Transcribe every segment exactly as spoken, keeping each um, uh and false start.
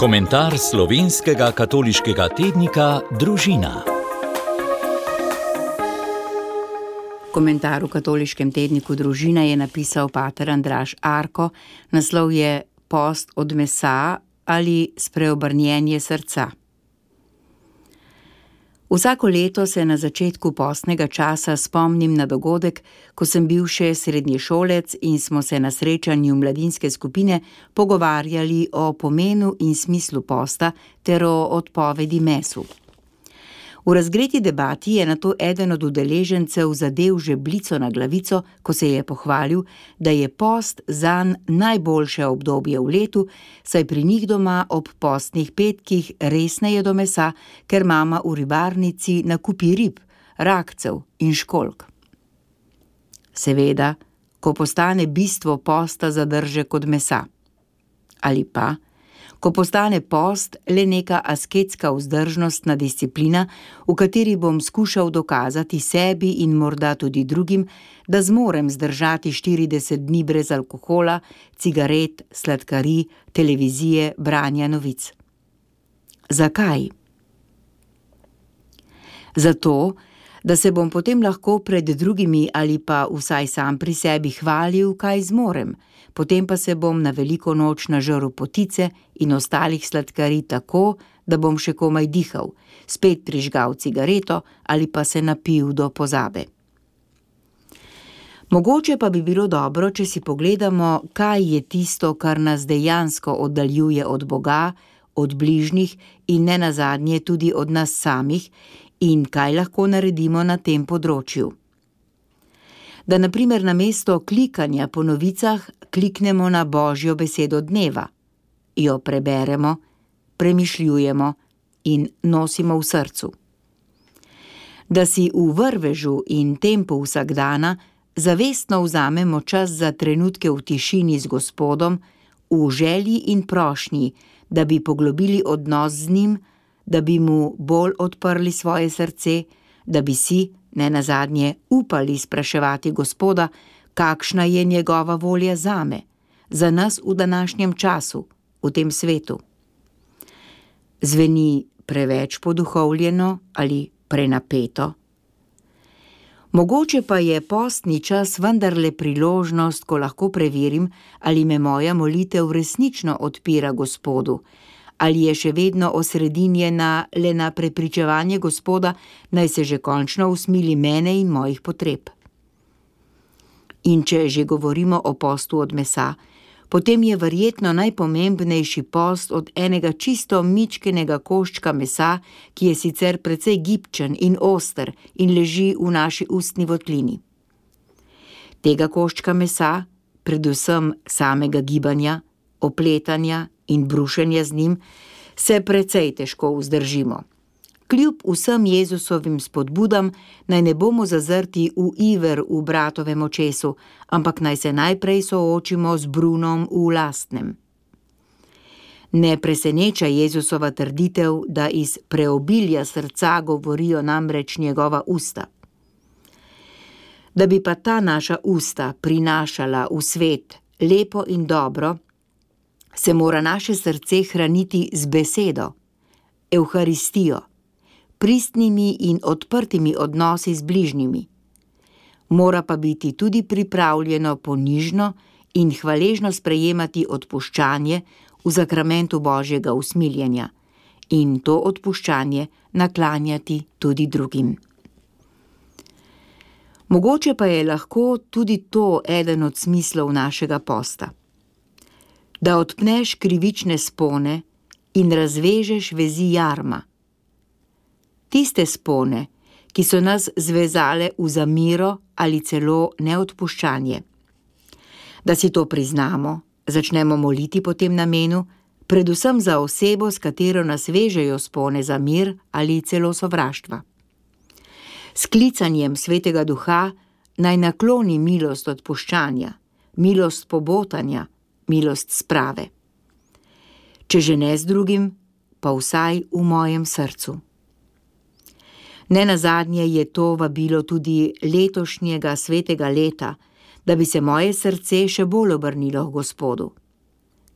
Komentar slovenskega katoliškega tednika Družina. Komentar v katoliškem tedniku Družina je napisal pater Andraž Arko, naslov je Post od mesa ali spreobrnjenje srca. Vsako leto se na začetku postnega časa spomnim na dogodek, ko sem bil še srednješolec in smo se na srečanju mladinske skupine pogovarjali o pomenu in smislu posta ter o odpovedi mesu. V razgreti debati je nato eden od udeležencev zadel žebljico na glavico, ko se je pohvalil, da je post zanj najboljše obdobje v letu, saj pri njih doma ob postnih petkih res ne jedo mesa, ker mama v ribarnici nakupi rib, rakcev in školjk. Seveda, ko postane bistvo posta zadržek od mesa. Ali pa, ko postane post le neka asketska vzdržnostna disciplina, v kateri bom skušal dokazati sebi in morda tudi drugim, da zmorem zdržati štirideset dni brez alkohola, cigaret, sladkarij, televizije, branja novic. Zakaj? Zato, da se bom potem lahko pred drugimi ali pa vsaj sam pri sebi hvalil, kaj zmorem, potem pa se bom na veliko noč nažrl potice in ostalih sladkarij tako, da bom še komaj dihal, spet prižgal cigareto ali pa se napil do pozabe. Mogoče pa bi bilo dobro, če si pogledamo, kaj je tisto, kar nas dejansko oddaljuje od Boga, od bližnjih in nenazadnje tudi od nas samih, in kaj lahko naredimo na tem področju. Da na primer namesto klikanja po novicah kliknemo na Božjo besedo dneva, jo preberemo, premišljujemo in nosimo v srcu. Da si v vrvežu in tempu vsakdana zavestno vzamemo čas za trenutke v tišini z Gospodom, v želji in prošnji, da bi poglobili odnos z njim, da bi mu bolj odprli svoje srce, da bi si, nenazadnje, upali spraševati Gospoda, kakšna je njegova volja zame, za nas v današnjem času, v tem svetu. Zveni preveč poduhovljeno ali prenapeto? Mogoče pa je postni čas vendarle priložnost, ko lahko preverim, ali me moja molitev resnično odpira Gospodu, ali je še vedno osredinjena le na prepričevanje Gospoda, naj se že končno usmili mene in mojih potreb. In če že govorimo o postu od mesa, potem je verjetno najpomembnejši post od enega čisto mičkenega koščka mesa, ki je sicer precej gibčen in oster in leži v naši ustni votlini. Tega koščka mesa, predvsem samega gibanja, opletanja in brušenja z njim, se precej težko vzdržimo. Kljub vsem Jezusovim spodbudam, naj ne bomo zazrti v iver v bratovem očesu, ampak naj se najprej soočimo z brunom v lastnem. Ne preseneča Jezusova trditev, da iz preobilja srca govorijo namreč njegova usta. Da bi pa ta naša usta prinašala v svet lepo in dobro, se mora naše srce hraniti z besedo, evharistijo, pristnimi in odprtimi odnosi z bližnjimi. Mora pa biti tudi pripravljeno ponižno in hvaležno sprejemati odpuščanje v zakramentu Božjega usmiljenja in to odpuščanje naklanjati tudi drugim. Mogoče pa je lahko tudi to eden od smislov našega posta. Da odpneš krivične spone in razvežeš vezi jarma. Tiste spone, ki so nas zvezale v zamiro ali celo neodpuščanje. Da si to priznamo, začnemo moliti po tem namenu, predvsem za osebo, s katero nas vežejo spone za mir ali celo sovraštva. S klicanjem Svetega Duha naj nakloni milost odpuščanja, milost pobotanja, milost sprave. Če že ne z drugim, pa vsaj v mojem srcu. Nenazadnje je to vabilo tudi letošnjega svetega leta, da bi se moje srce še bolj obrnilo k Gospodu.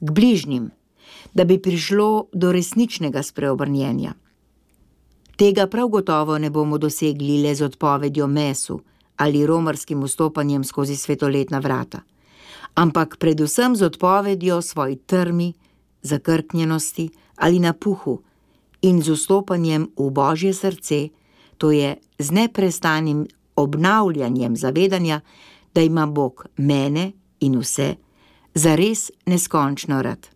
K bližnjim, da bi prišlo do resničnega spreobrnjenja. Tega prav gotovo ne bomo dosegli le z odpovedjo mesu ali romarskim vstopanjem skozi svetoletna vrata, ampak predvsem z odpovedjo svoji trmi, zakrknjenosti ali napuhu in z vstopanjem v Božje srce, to je z neprestanim obnavljanjem zavedanja, da ima Bog mene in vse zares neskončno rad.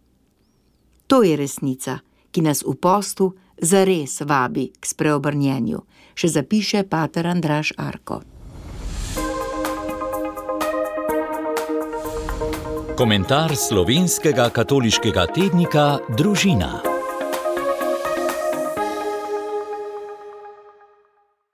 To je resnica, ki nas v postu zares vabi k spreobrnjenju, še zapiše pater Andraž Arko. Komentar slovenskega katoliškega tednika Družina.